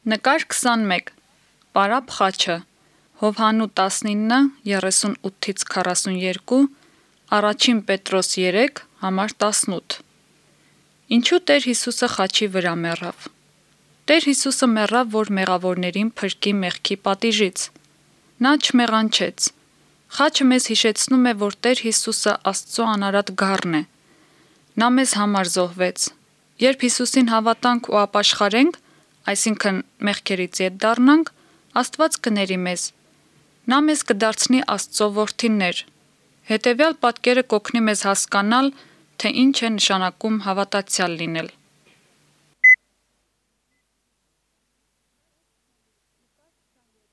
Նկար 21 Պարապ խաչը Հովհաննու 19:38-42 Առաջին Պետրոս 3 համար 18 Ինչու Տեր Հիսուսը խաչի վրա մեռավ։ Տեր Հիսուսը մեռավ, որ մեղավորներին փրկի մեղքի պատիժից։ Նա չմեղանչեց։ Խաչը մեզ հիշեցնում է, որ Տեր Հիսուսը Աստծո անարատ գառն է։ Նա մեզ համար զոհվեց։ Երբ Հիսուսին հավատանք ու ապաշխարենք, այսինքն մեղքերից ետ դառնանք, Աստված կների մեզ։ Նա մեզ կդարձնի Աստծո որդիներ։ Հետևյալ պատկերը կօգնի մեզ հասկանալ, թե ինչ է նշանակում հավատացյալ լինել։